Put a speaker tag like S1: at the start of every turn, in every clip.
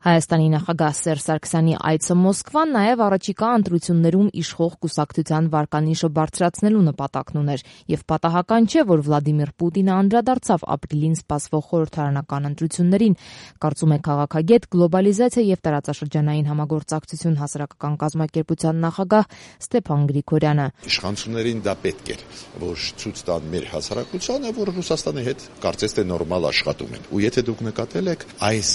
S1: Հայաստանի նախագահ Սերժ Սարգսյանի այցը Մոսկվա նաև առաջիկա ընտրություններում իշխող կուսակցության վարկանիշը բարձրացնելու նպատակն ուներ, եւ պատահական չէ, որ Վլադիմիր Պուտինը անդրադարձավ ապրիլին սպասվող խորհրդարանական ընտրություններին, կարծում է քաղաքագետ, գլոբալիզացիա եւ տարածաշրջանային համագործակցություն հասարակական կազմակերպության նախագահ Ստեփան Գրիգորյանը։
S2: Իշխանություններին դա պետք էր, որ ցույց տան մեր հասարակությանը, որ Ռուսաստանի հետ կարծես թե նորմալ աշխատում են։ Ու եթե դուք նկատել եք, այս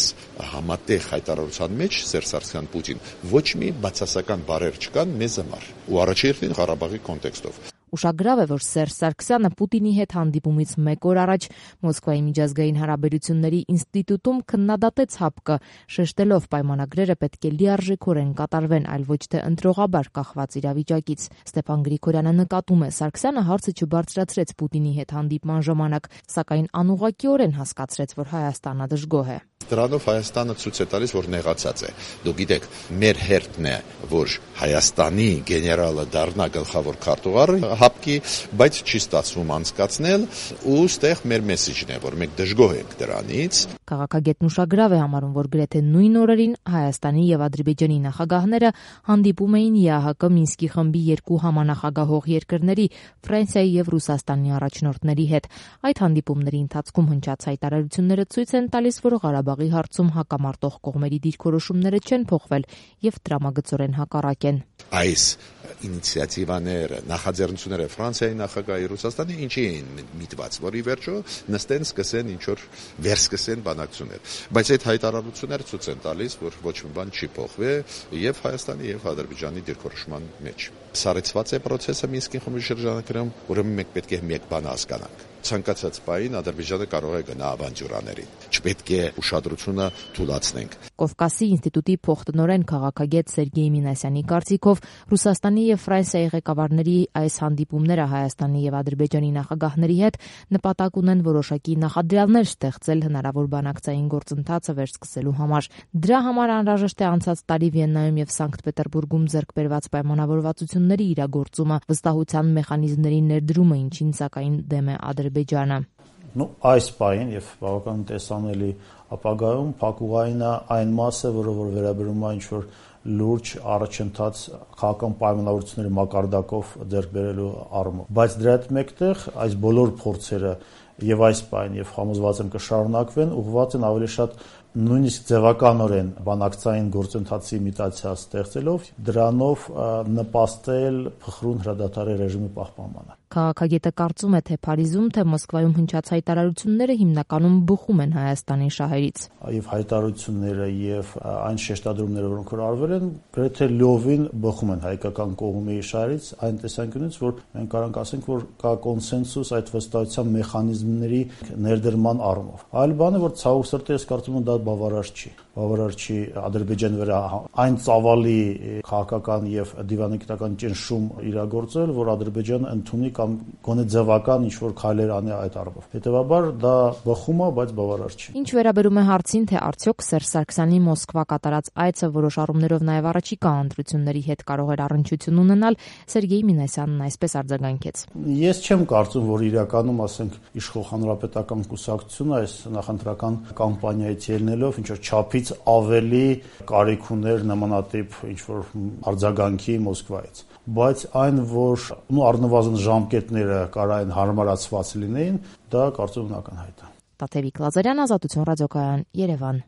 S2: համատեղ հայտարարության մեջ Սերժ Սարգսյան Պուտին ոչ մի բացասական բառեր չկան մեզ համար ու առաջին Ղարաբաղի կոնտեքստով։
S1: Ուշագրավ է, որ Սերժ Սարգսյանը Պուտինի հետ հանդիպումից մեկ օր առաջ Մոսկվայի միջազգային հարաբերությունների ինստիտուտում քննադատեց ՀԱՊԿ, շեշտելով պայմանագրերը պետք է լիարժեքորեն կատարվեն, այլ ոչ թե ընտրողաբար կախված իրավիճակից։ Ստեփան Գրիգորյանը նկատում է, Սարգսյանը հարցը չբարձրացրեց Պուտինի հետ հանդիպման ժամանակ, սակայն անուղղակիորեն հասկացրեց, որ Հայաստանը դժգոհ է։
S2: Դրանով Հայաստանը ցույց է տալիս, որ նեղացած է։ Դուք գիտեք, մեր հերթն է, որ Հայաստանի գեներալը դառնա գլխավոր քարտուղարը ՀԱՊԿ-ի, բայց չի ստացվում անցկացնել, ու ստեղ մեր մեսեջն է, որ մենք դժգոհ ենք դրանից։
S1: Քաղաքագետն ուշագրավ է համարում, որ գրեթե նույն օրերին Հայաստանի եւ Ադրբեջանի նախագահները հանդիպում էին ԵԱՀԿ Մինսկի խմբի երկու համանախագահող երկրների Ֆրանսիայի եւ Ռուսաստանի առաջնորդների հետ։ Այդ հանդիպումների ընթացքում հնչած հայտարարությունները ցույց են տալիս, որ Ղարաբաղի հարցում հակամարտող կողմերի դիրքորոշումները չեն փոխվել եւ տրամագծորեն հակառակ են։
S2: Այս ինիցիատիվաները, նախաձեռնությունները Ֆրանսիայի նախագահի, Ռուսաստանի ինչի էին միտված, որ ի վերջո նստեն, սկսեն ինչ որ վերսկսեն բանակցություններ։ Բայց այդ հայտարարությունները ցույց են տալիս, որ ոչ մի բան չի փոխվել եւ Հայաստանի եւ Ադրբեջանի դիրքորոշման մեջ։ Սառեցված է process-ը Մինսկի խմբի շրջանակներում, ուրեմն մենք պետք է մեկ բան հասկանանք։ Ցանկացած պահին Ադրբեջանը կարող է գնա ավանտյուրաներին։ Չպետք է ուշադրությունը թուլացնենք։
S1: Կովկասի ինստիտուտի փոխտնօրեն քաղաքագետ Սերգեյ Մինասյանի կարծիքով Ռուսաստանի եւ Ֆրանսիայի ղեկավարների այս հանդիպումները Հայաստանի եւ Ադրբեջանի նախագահների հետ նպատակ ունեն որոշակի նախադրյալներ ստեղծել հնարավոր բանակցային գործընթացը վերսկսելու համար։ Դրա համար անհրաժեշտ է անցած տարի Վիեննայում եւ Սանկտ Պետերբուրգում ձեռք բերված պայմանավորվածությունների իրագործումը, վստահության մեխանիզմների ներդրումը, ինչին սակայն դեմ է Ադրբեջանը։
S3: Այս պահին եւ բավական տեսանելի ապագայում փակուղային է այն մասը, որը որ վերաբերում է ինչ-որ լուրջ առաջընթաց քաղաքական պայմանավորվածությունների մակարդակով ձեռք բերելու առումով։ Բայց դրա հետ մեկտեղ այս բոլոր փորձերը եւ այս պահին եւ համոզված եմ կշարունակվեն, ուղղված են ավելի շատ նույնիսկ ձևականորեն բանակցային գործընթացի իմիտացիա ստեղծելով, դրանով նպաստել փխրուն հրադադարի ռեժիմի պահպանմանը։
S1: Քաղաքագետը կարծում է, թե Փարիզում, թե Մոսկվայում հնչած հայտարարությունները հիմնականում բխում են Հայաստանի շահերից։
S3: Եվ հայտարարությունները եւ այն շեշտադրումները, որոնք որ արվել են, գրեթե լիովին բխում են հայկական կողմի շահերից, այն տեսանկյունից, որ մենք կարող ենք ասենք, որ կա կոնսենսուս այդ վստահության մեխանիզմների ներդրման առումով։ Այլ բան է, որ ցավոք սրտի ես կարծում եմ դա բավարար չի Ադրբեջանի վրա այն ծավալի քաղաքական եւ դիվանագիտական ճնշում իրագործել, որ Ադրբեջանը ընդունի կամ գոնե ձևական ինչ-որ քայլեր անի այդ առումով։ Հետևաբար դա բխում է, բայց բավարար չի։
S1: Ինչ վերաբերում է հարցին, թե արդյոք Սերժ Սարգսյանի Մոսկվա կատարած այցը որոշ առումներով նաեւ առաջիկա ընտրությունների հետ կարող էր առնչություն ունենալ, Սերգեյ Մինասյանն այսպես արձագանքեց։
S3: Ես չեմ կարծում, որ իրականում, ասենք, իշխող հանրապետական կուսակցությունը այս նախընտրական կամպանիայից ելնելով ինչ-որ չափից ավելի կարիք ուներ նմանատիպ ինչ-որ արձագանքի Մոսկվայից։ Բայց այն, որ առնվազն ժամկետները կարային հարմարացված լինեին, դա կարծում եմ ակնհայտ է։
S1: Տաթևիկ Լազարյան, Ազատություն ռադիոկայան, Երևան։